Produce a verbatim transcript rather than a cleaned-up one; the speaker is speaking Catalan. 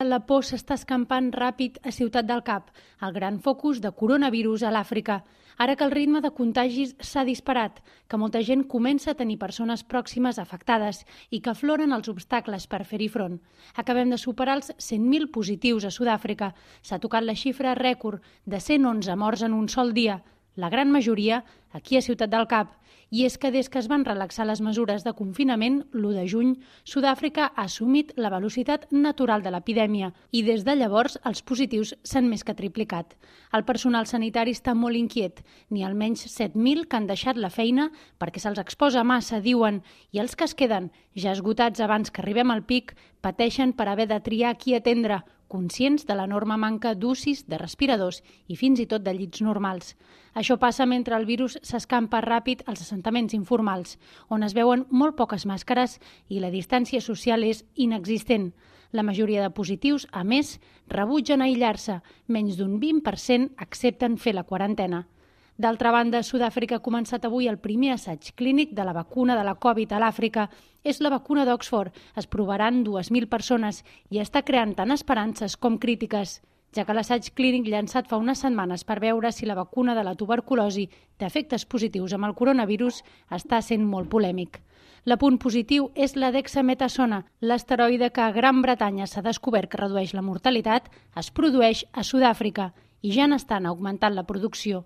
la por s'està escampant ràpid a Ciutat del Cap, el gran focus de coronavirus a l'Àfrica. Ara que el ritme de contagis s'ha disparat, que molta gent comença a tenir persones pròximes afectades i que afloren els obstacles per fer-hi front. Acabem de superar els cent mil positius a Sud-àfrica. S'ha tocat la xifra rècord de cent onze morts en un sol dia, la gran majoria aquí a Ciutat del Cap. I és que des que es van relaxar les mesures de confinament, l'u de juny, Sud-àfrica ha assumit la velocitat natural de l'epidèmia i des de llavors els positius s'han més que triplicat. El personal sanitari està molt inquiet. N'hi ha almenys set mil que han deixat la feina perquè se'ls exposa massa, diuen, i els que es queden, ja esgotats abans que arribem al pic, pateixen per haver de triar qui atendre, conscients de l'enorme manca d'U C Is, de respiradors i fins i tot de llits normals. Això passa mentre el virus s'escampa ràpid als assentaments informals, on es veuen molt poques màscares i la distància social és inexistent. La majoria de positius, a més, rebutgen aïllar-se. Menys d'un vint per cent accepten fer la quarantena. D'altra banda, Sud-àfrica ha començat avui el primer assaig clínic de la vacuna de la Covid a l'Àfrica. És la vacuna d'Oxford. Es provaran dues mil persones i està creant tant esperances com crítiques, ja que l'assaig clínic llançat fa unes setmanes per veure si la vacuna de la tuberculosi té efectes positius amb el coronavirus està sent molt polèmic. L'apunt positiu és la dexametasona, l'asteroide que a Gran Bretanya s'ha descobert que redueix la mortalitat, es produeix a Sud-àfrica i ja n'estan augmentant la producció.